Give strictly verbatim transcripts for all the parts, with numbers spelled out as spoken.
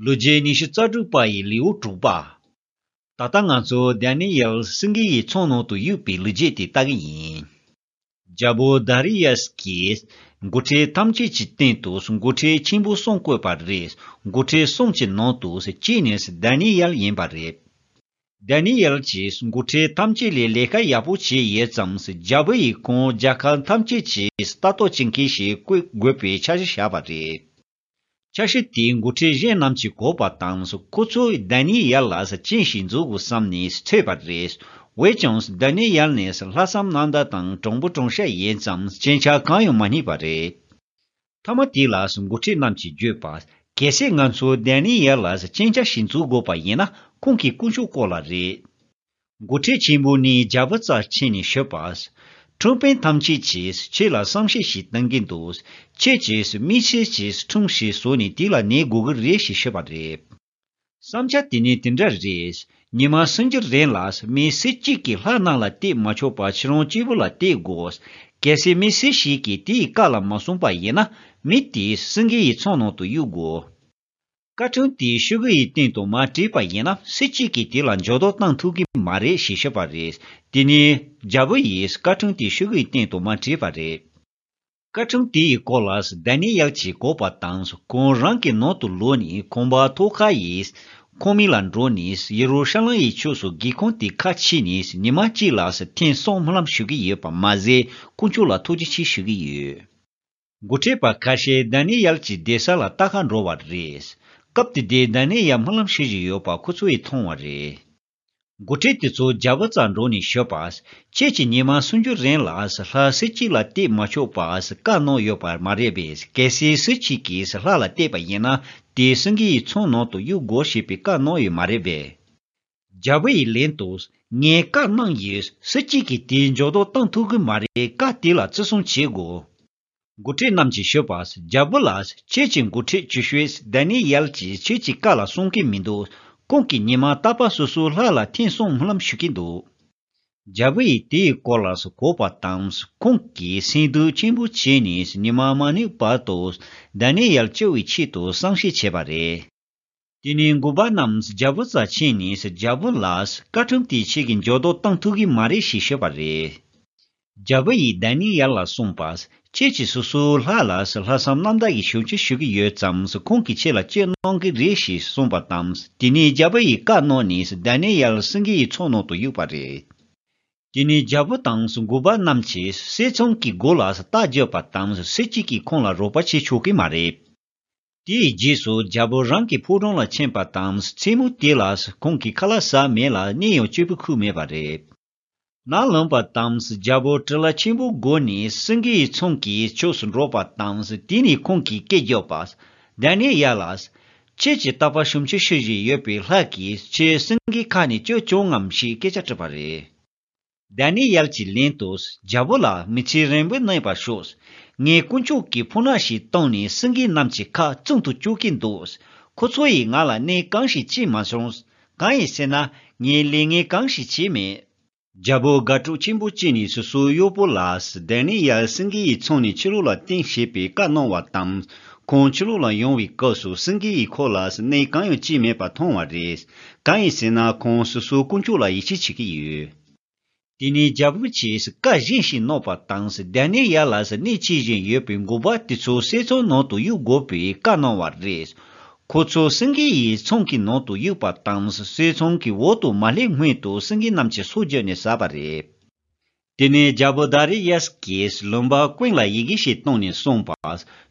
ལོ་རྒྱུས་ཉི་ཤུ་རྩ་དྲུག་པ་ཡི་ལེའུ་དྲུག་པ། ད་ལྟ་ང་ཚོ་དཱ་ནི་ཡལ་སེང་གེ་ཡི་ཚང་ནང་དུ་གཡུགས་པའི་ལོ་རྒྱུས་དེ་ལྟ་གི་ཡིན། རྒྱལ་པོ་དཱ་རི་ཡཱས་ཀྱིས་འགོ་ཁྲིད་ཐམས་ཅད་ཀྱི་སྟེང་དུ་འགོ་ཁྲིད་ཆེན་པོ་གསུམ་བསྐོས་པ་རེད། འགོ་ཁྲིད་གསུམ་གྱི་ནང་དུ་གཅིག་ནི་དཱ་ནི་ཡལ་ཡིན་པ་རེད། དཱ་ནི་ཡལ་གྱིས་འགོ་ཁྲིད་ཐམས་ཅད་ལས་ལས་ཀ་ཡག་པོ་བྱས་ཡོད་ཙང་། རྒྱལ་པོ་ཡིས་ཁོང་རྒྱལ་ཁབ་ཐམས་ཅད་ཀྱི་ལྟ་རྟོག་བྱེད་མཁན་ཞིག་བསྐོ་དགོས་པའི་འཆར་གཞི་བཞག་པ་རེད། འཆར་གཞི་དེའི་འགོ་ཁྲིད་གཞན་རྣམས་ཀྱིས་གོ་བ་དང་། ཁོ་ཚོས་དཱ་ནི་ཡལ་ལ་སྤྱན་ཞིག་འཛུགས་དགོས་བསམ་ནས་འཚོལ་བ་རེད། འོན་ཀྱང་དཱ་ནི་ཡལ་ནི་ལྷག་བསམ་རྣམ་དག་དང་དྲང་པོ་དྲང་བཞག་ཡིན་ཙང་སྐྱོན་ཆ་གང་ཡང་མ་རྙེད་པ་རེད། མཐའ་མ་དེ་ལ་འགོ་ཁྲིད་རྣམས་ཀྱིས་བརྗོད་པ། གལ་སྲིད་ང་ཚོས་དཱ་ནི་ཡལ་ལ་སྤྱན་ཆ་ཞིག་འཛུགས་དགོས་པ་ཡིན་ན། ཁོང་གི་དཀོན་མཆོག་སྐོར་ལ་རེད། འགོ་ཁྲིད་ཆེན་པོ་ནི་རྒྱལ་པོ་རྩར་ཕྱིན་ནས་ཞུས་པ། ཁྲིམས་དཔོན་ཐམས་ཅད་ཀྱིས་ཁྱེད་ལ་བསམ་ཤེས་ཤིག་གཏོང་གི་འདུག་ཁྱེད་ཀྱིས་དམིགས་བསལ་གྱི་ཁྲིམས་ཤིག་བཟོས་ནས་དེ་ལ་གནས་དགོས་ཀྱི་རེད་ཞེས་ཞུས་པ་རེད། བསམ་འཆར་དེ་ནི་དེ་འདྲ་རེད། ཉི་མ་སུམ་ཅུ་རིང་ལ་མི་སུ་གཅིག་གིས་ལྷ་རྣམས་ལ་བལྟས་མ་ཆོག་པར་ཁྱེད་རང་གཅིག་པུ་ལ་བལྟས་དགོས། གལ་སྲིད་མི་སུ་ཞིག་གིས་དེའི་བཀའ་ལ་མ་སྲུང་པ་ཡིན་ན། མི་དེ་སེང་གེ་ཡི་ཚང་ནང་དུ་གཡུག་དགོས། བཀའ་ཁྲིམས་དེ་ཤོག་གུ་ཡི་སྟེང་དུ་མ་བྲིས་པ་ཡིན་ན། སུ་གཅིག་གིས་དེ་ལ་འགྱུར་ལྡོག་གཏང་ཐུབ་ཀྱི་མ་རེད་ཞེས་ཞུས་པ་རེད། དེ་ནས་རྒྱལ་པོ་ཡིས་བཀའ་ཁྲིམས་དེ་ཤོག་གུ་ཡི་སྟེང་དུ་མ་བྲིས་པ་རེད། བཀའ་ཁྲིམས་དེ་ཡི་སྐོར་ལ་དཱ་ནི་ཡལ་གྱིས་གོ་བ་དང་། ཁོང་རང་གི་ནང་དུ་ལོག་ནས་ཁང་པ་ཐོག་ཁ་ཡི་ཁང་མིག་ལ་འགྲོ་ནས། ཡེ་རུ་ཤ་ལེམ་ཡི་ཕྱོགས་སུ་སྒེའུ་ཁུང་དེ་ཁ་ཕྱེ་ནས། ཉི་མ་གཅིག་ལ་ཐེངས་གསུམ་སྨོན་ལམ་ཞུ་གི་ཡོད་པ་མ་ཟད། དཀོན་མཆོག་ལ་ཐུགས་རྗེ་ཆེ་ཞུ་གི་ཡོད། འགོ་ཁྲིད་པ་ཁ་ཤས་དཱ་ནི་ཡལ་གྱི་བསྡད་ས་ལ་ལྟ་ག་འགྲོ་བ་རེད། སྐབས་དེ་དུས་དཱ་ནི་ཡལ་སྨོན་ལམ་ཞུ་བཞིན་ཡོད་པ་ཁོ་ཚོས་མཐོང་བ་རེད། འགོ་ཁྲིད་དེ་ཚོ་རྒྱལ་པོ་རྩར་འགྲོ་ནས་ཞུས་པ། ཁྱེད་ཀྱིས་ཉི་མ་སུམ་ཅུ་རིང་ལ་ལྷ་སུ་གཅིག་ལ་བལྟས་མ་ཆོག་པ་བཀའ་གནང་ཡོད་པ་མ་རེད་པས། གལ་སྲིད་སུ་གཅིག་གིས་ལྷ་ལ་བལྟས་པ་ཡིན་ན། དེ་སེང་གེ་ཡི་ཚང་ནང་དུ་གཡུག་དགོས་ཞེས་པའི་བཀའ་གནང་ཡོད་མ་རེད་པས། རྒྱལ་པོ་ཡིས་ལན་དུ། ངས་བཀའ་གནང་ཡོད། སུ་གཅིག་གིས་དེའི་འགྱུར་ལྡོག་གཏང་ཐུབ་ཀྱི་མ་རེད། བཀའ་དེ་ལ་བརྩི་སྲུང་བྱེད་དགོས། འགོ་ཁྲིད་རྣམས་ཀྱིས་ཞུས་པ། རྒྱལ་པོ་ལགས། ཁྱེད་ཀྱི་འགོ་ཁྲིད་ཆེ་ཤོས་དཱ་ནི་ཡལ་གྱིས་ཁྱེད་ཀྱི་བཀའ་ལ་སྲུང་གི་མི་འདུག་ཁོང་གིས་ཉི་མ་རྟག་པར་སོ་སོའི་ལྷ་ལ་ཐེངས་གསུམ་སྨོན་ལམ་ཞུ་གི་འདུག་རྒྱལ་པོ་ཡིས་དེའི་སྐོར་ལ་གོ་བ་དང་། ཁོང་གིས་སེམས་སྡུག་ཆེན་པོ་བྱས་ནས་ཉི་མ་མ་ནུབ་བར་དུ་དཱ་ནི་ཡལ་སྐྱོབ་པའི་ཆེད་དུ་བསམ་ཤེས་བྱས་པ་རེད། དེ་ནས་འགོ་པ་རྣམས་རྒྱལ་པོ་རྩར་ཕྱིན་ནས། རྒྱལ་པོ་ལགས། བཀའ་ཁྲིམས་དེ་ཁྱེད་ཀྱིས་འགྱུར་ལྡོག་གཏང་ཐུབ་ཀྱི་མ་རེད་ཞེས་ཞུས་པ་རེད། རྒྱལ་པོ་ཡིས་དཱ་ནི་ཡལ་ལ་གསུངས་པ། ཁྱེད་ཀྱིས་སོ་སོའི་ལྷ་ལ་ལྷག་བསམ་རྣམ་དག་གིས་ཞབས་ཕྱི་ཞུ་གི་ཡོད་ཙང་། ཁོང་གིས་ཁྱེད་ལ་སྐྱོབ་གནང་གི་རེད་ཞེས་གསུངས་པ་དང་། དེ་ནས་རྒྱལ་པོ་ཡིས་བཀའ་གནང་ནས་དཱ་ནི་ཡལ་སེང་གེ་ཡི་ཚང་ནང་དུ་གཡུགས་པ་རེད། དེ་ནས་རྒྱལ་པོ་དང་འགོ་པ་རྣམས་ཀྱིས་བསེ་ཚང་གི་སྒོ་ལ་རྟ་རྒྱབ་པ་དང་། སུ་གཅིག་གིས་ཁོང་ལ་རོགས་པ་བྱེད་ཆོག་གི་མ་རེད། དེའི་རྗེས་སུ་རྒྱལ་པོ་རང་གི་ཕོ་བྲང་ལ་ཕྱིན་པ་དང་། མཚན་མོ་དེ་ལ་ཁོང་གིས་ཁ་ལག་ཟ་མེད་ལ། གཉིད་ཡང་སྐྱིད་པོ་ཁུག་མེད་པ་རེད། ནམ་ལངས་པ་དང་། རྒྱལ་པོ་གྲི་ལ་ཆེན་པོ་བསྒོར་ནས་སེང་གེ་ཡི་ཚང་གི་ཕྱོགས་སུ་འགྲོ་བ་དང་། དེ་ནས་ཁོང་གིས་སྐད་བརྒྱབ་པ། དཱ་ནི་ཡལ་ལགས། ཁྱེད་ཀྱིས་རྟག་པར་ཞབས་ཕྱི་ཞུ་བཞིན་ཡོད་པའི་ལྷ་གིས་ཁྱེད་སེང་གེ་ཁ་ནས་སྐྱོབ་བྱུང་ངམ་ཞེས་སྐད་ཆ་དྲིས་པ་རེད། དཱ་ནི་ཡལ་གྱིས་ལན་དུ། རྒྱལ་པོ་ལགས། མི་ཚེ་རིང་པོ་གནས་པར་ཤོག་ངས་དཀོན་མཆོག་གིས་ཕོ་ཉ་ཞིག་བཏང་ནས་སེང་གེ་རྣམས་ཀྱི་ཁ་བཙུམ་དུ་བཅུག་གིན་འདུག་ཁོ་ཚོ་ཡིས་ང་ལ་གནོད་གང་ཞིག་བྱས་མ་བྱུང་། གང་ཡིན་ཟེར་ན། ངས་ལས་ངན་གང་ཞིག་བྱས་མེད། རྒྱལ་པོ་དགའ་སྤྲོ་ཆེན་པོ་སྐྱེས་ནས་སོ་སོའི་གཡོག་པོ་ལ། དཱ་ནི་ཡལ་སེང་གེ་ཡི་ཚང་ནས་ཕྱི་ལོགས་ལ་བཏོན་ཞེས་པའི་བཀའ་གནང་བ་དང་། ཁོང་ཕྱི་ལོགས་ལ་ཡོང་བའི་སྐབས་སུ་སེང་གེ་ཡིས་ཁོ་ལ་གནོད་གང་ཡང་བྱས་མེད་པ་མཐོང་བ་རེད། གང་ཡིན་ཟེར་ན། ཁོང་སོ་སོའི་དཀོན་མཆོག་ལ་ཡིད་ཆེས་བྱེད་ཀྱི་ཡོད། དེ་ནས་རྒྱལ་པོ་གྱིས་བཀའ་གཞན་ཞིག་གནང་བ་དང་། དཱ་ནི་ཡལ་ལ་གནས་བཅས་བཞིན་ཡོད་པའི་འགོ་པ་དེ་ཚོ་བསེ་ཚང་ནང་དུ་གཡུག་དགོས་པའི་བཀའ་གནང་བ་རེད། ཁོ་ཚོ་སེང་གེ་ཡི་ཚང་གི་ནང་དུ་གཡུག་པ་དང་། བསེ་ཚང་གི་འོག་ཏུ་མ་སླེབས་སྔོན་དུ་སེང་གེ་རྣམས་ཀྱིས་སོ་བརྒྱབ་ནས་ཟ་བ་རེད། དེ་ནས་རྒྱལ་པོ་དཱ་རི་ཡཱས་ཀྱིས་ལུང་པ་ཀུན་ལ་ཡི་གེ་ཞིག་བཏང་ནས་གསུངས་པ།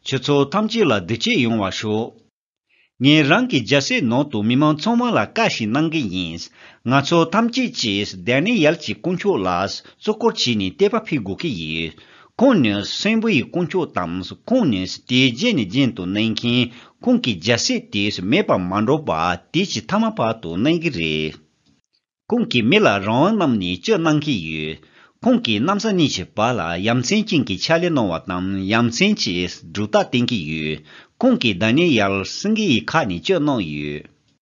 ཁྱེད་ཚོ་ཐམས་ཅད་ལ་བདེ་སྐྱིད་ཡོང་བར་ཤོག་ངས་རང་གི་རྒྱལ་སྲིད་ནང་དུ་མི་མང་ཚང་མ་ལ་བཀའ་ཞིག་གནང་གི་ཡིན། ང་ཚོ་ཐམས་ཅད་ཀྱིས་དཱ་ནི་ཡལ་གྱི་དཀོན་མཆོག་ལ་བརྩི་བཀུར་བྱས་ནས་དད་པ་འཕེལ་དགོས་ཀྱི་ཡོད། ཁོང་ནི་གསོན་པོ་ཡི་དཀོན་མཆོག་དང་། ཁོང་ནི་དེའི་རྗེས་ནས་རྒྱུན་དུ་གནས་མཁན། ཁོང་གི་རྒྱལ་སྲིད་དེ་མེད་པར་མ་འགྲོ་བར་དུས་ཀྱི་མཐའ་མ་བར་དུ་གནས་ཀྱི་རེད། ཁོང་གིས་མི་ལ་རང་དབང་གནང་ནས་སྐྱོབ་གནང་གི་ཡོད། ཁོང་གིས་གནམ་ས་གཉིས་ཀྱི་བར་ལ་ཡ་མཚན་ཅན་གྱི་ཕྱག་ལས་གནང་བ་དང་། ཡ་མཚན་གྱི་སྒྲུབ་རྟགས་བསྟན་གྱི་ཡོད། ཁོང་གིས་དཱ་ནི་ཡལ་སེང་གེ་ཡི་ཁ་ནས་སྐྱོབ་གནང་ཡོད།